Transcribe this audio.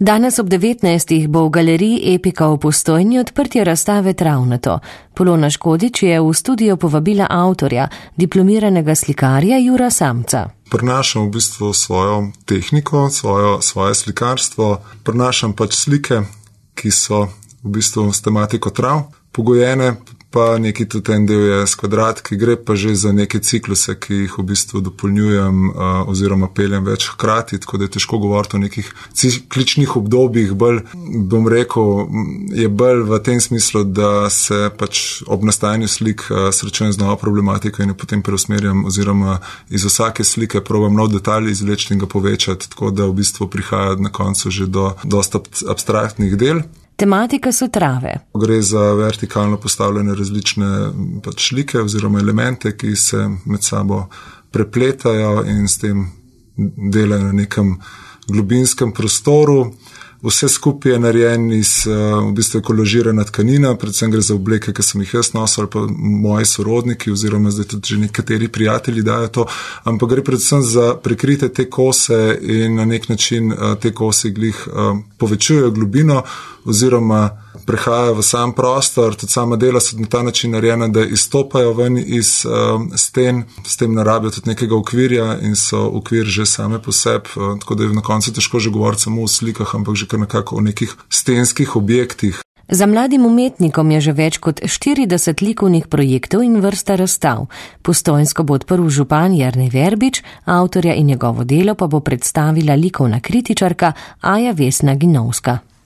Danes ob 19. bo v galeriji Epika v Postojni odprtje razstave Travnato. Polona Škodič je v studio povabila avtorja, diplomiranega slikarja Jura Samca. Prinašam v bistvu svojo tehniko, svoje slikarstvo, prinašam pač slike, ki so v bistvu s tematiko trav pogojene, pa neki tudi en del je s kvadratki, gre pa že za neke cikluse, ki jih v bistvu dopolnjujem oziroma peljem več hkrati, tako da je težko govoriti o nekih cikličnih obdobjih, bolj, bom rekel, je bolj v tem smislu, da se pač ob nastajanju slik srečujem z novo problematiko in jo potem preusmerjam oziroma iz vsake slike probam nov detalj izvleči in ga povečati, tako da v bistvu prihaja na koncu že do dosta abstraktnih del. Tematika so trave. Gre za vertikalno postavljene različne pač slike oziroma elemente, ki se med sabo prepletajo in s tem delajo na nekem globinskem prostoru. Vse skupaj je narejen iz v bistvu kolažirana tkanina, predvsem gre za obleke, ki sem jih jaz nosil, ali pa moji sorodniki oziroma zdaj tudi že nekateri prijatelji dajo to, ampak gre predvsem za prekrite te kose in na nek način te kose glih povečujejo globino oziroma prehajajo v sam prostor, tudi sama dela so na ta način narejena, da izstopajo ven iz sten, s tem ne rabijo tudi nekega okvirja in so okvir že same po sebi, tako da je na koncu težko že govoriti samo o slikah, ampak že kar nekako o nekih stenskih objektih. Za mladim umetnikom je že več kot 40 likovnih projektov in vrsta razstav. Postojnsko bo odprl župan Jernej Verbič, avtorja in njegovo delo pa bo predstavila likovna kritičarka Aja Vesna Ginovska.